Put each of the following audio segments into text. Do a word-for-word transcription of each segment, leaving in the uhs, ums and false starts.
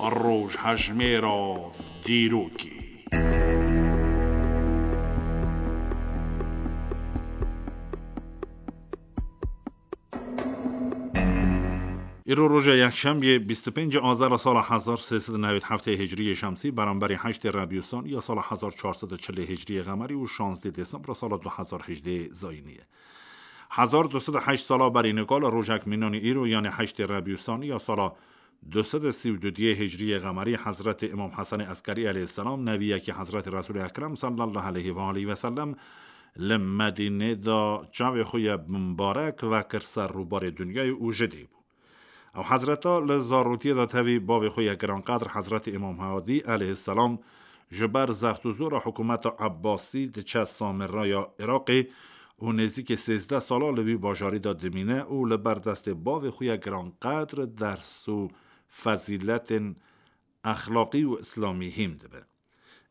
Rojhejmêra dîrokê. Îro roja yekşemiyê, bîst û pêncê Azera sala hezar sê sed û newêd heftê Hicriyê Şemsî, beramberî heştê Rebî Sanî ya sala hezar çar sed û çilê Hicriyê Xemerî û şazdê Desembra sala du hezar hejdê Zayînî ye. Hezar du sed û heşt sala berî nika li rojek mînanî îro, yanê heştê Rebî Sanî ya sala du sed û sî û du diyê Hicriyê Xemerî, Hezretê Îmam Hesenê Eskerî aleyhisselam, neviyekî Hezretê Resûlê Ekrem sallallahu aleyhi ve aleyhi ve sellem, li Medînê de çavê xwe ye bimbarek vekir ser rûbarê dinyayê û ji dê bû. Ew hezreta li zarotiyê de tevî bavê xwe ye giranqedr Hezretê Îmam Hadî aleyhisselam ji ber zext û zora hikûmeta Ebbasî diçe Samirraya Iraqê û nêzîkî sêzdeh sala li wî bajarî de dimîne û li ber destê bavê xwe ye giranqedr ders û fezîletên exlaqî û îslamî hîn dibe.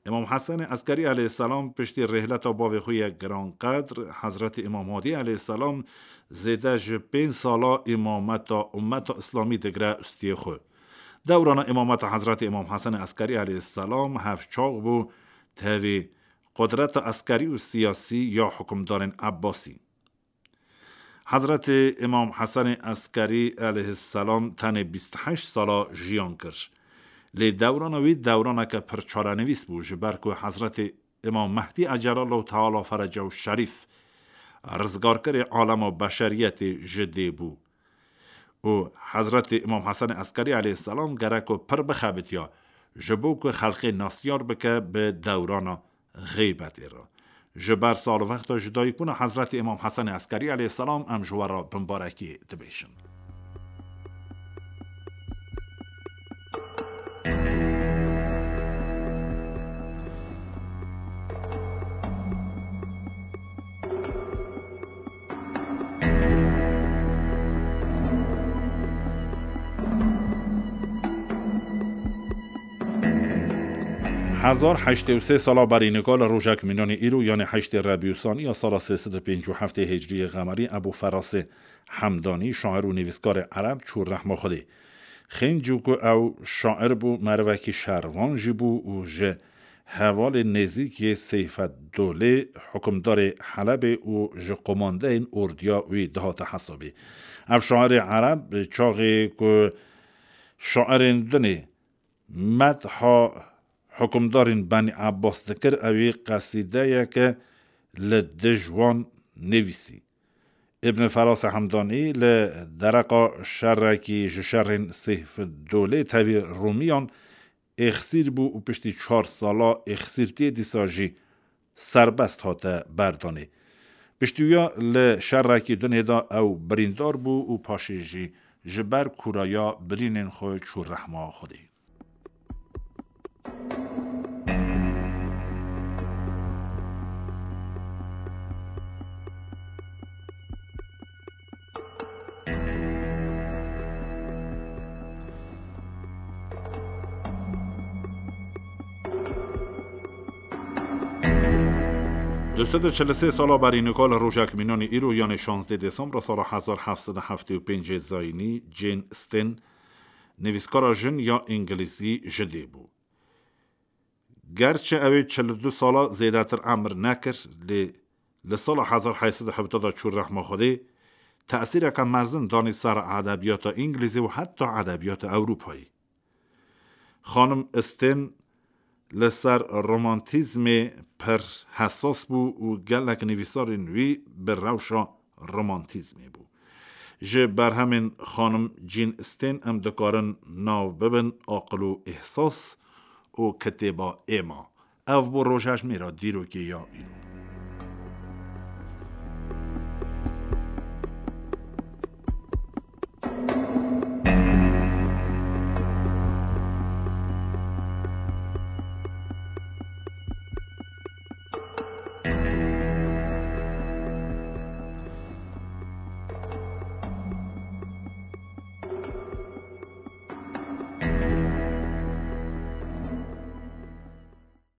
Îmam Hesenê Eskerî aleyhisselam piştî rêhleta bavê xwe ye giranqedr Hezretî Îmam Hadî aleyhisselam zêde ji pênc sala îmameta ummeta îslamî digire ustiyê xwe. Dewrana îmameta Hezretî Îmam Hesenê Eskerî aleyhisselam hevçax bû tevî qudreta eskerî û siyasî ya hikûmdarên Ebbasî. Hezretê Îmam Hesenê Eskerî aleyhisselam tenê bîst û heşt sala jiyan kir. Lê dewrana wî dewraneke pir çarenivîs bû, ji ber ku Hezretê Îmam Mehdî Ecelallahu Teala Ferecehu Şerîf, rizgarkirê alema beşeriyetê ji dê bû. Û Hezretê Îmam Hesenê Eskerî aleyhisselam gerek ku pir bixebitiya, ji bo ku xelkê nasiyar bike bi dewrana xeybetê re. Ji ber salvexta ji dayikbûna Hezretî Îmam Hesenê Eskerî aleyhisselam em ji we re bimbarekî dibêjin. Hezar heştê û sê sala berî nika li rojek mînanê îro, yanê heştê Rebî Sanî ya sala sê sed û pêncî û heftê Hicriyê Xemerî, Ebû Ferasê Hemdanî, şair û nivîskarê ereb, çû rehma Xwedê. Xêncû ku ew şair bû, merivekî şervan jî bû û ji hevalên nêzîk yê Seyfeddolê, hikûmdarê Helebê û ji qomandeyên ordiya wî dihate hesabê. Ev şairê ereb çaxê ku şairên dinê medha hikûmdarên Benî Ebbas dikir, ewî qesîdeyeke li dij wan nivîsî. Îbn Ferasê Hemdanî li dereqa şerekî ji şerên Seyfeddolê tevî Rûmiyan êxsîr bû û piştî çar sala êxsîrtiyê dîsa jî serbest hate berdanê. Piştî wiya li şerekî dinê de ew birîndar bû û paşê jî ji ber kûraya birînên xwe çû rehma Xwedê. Du sed û çil û sê sala berî nika li rojek mînanê îro, yanê şazdê Desembra sala hezar heft sed û heftê û pêncê Zayînî, Jane Austen, nivîskara jin ya îngilîzî ji dê bû. Gerçi ew ê çil û du sala zêdetir emir nekir, lê li sala hezar heyt sed û hevdeh de çû rehma Xwedê, tesîreke mezin danî ser edebiyata îngilîzî û heta edebiyata Ewropayê. Xanim Austen li ser romantîzmê pir hesas bû û gelek nivîsarên wî bi rewşa romantîzmê bû. Ji berhemên xanim Jane Austen em dikarin nav bibin Aqil û Îhsas û Kitêba Êma. Ev bû rojhejmêra dîrokê ya îro.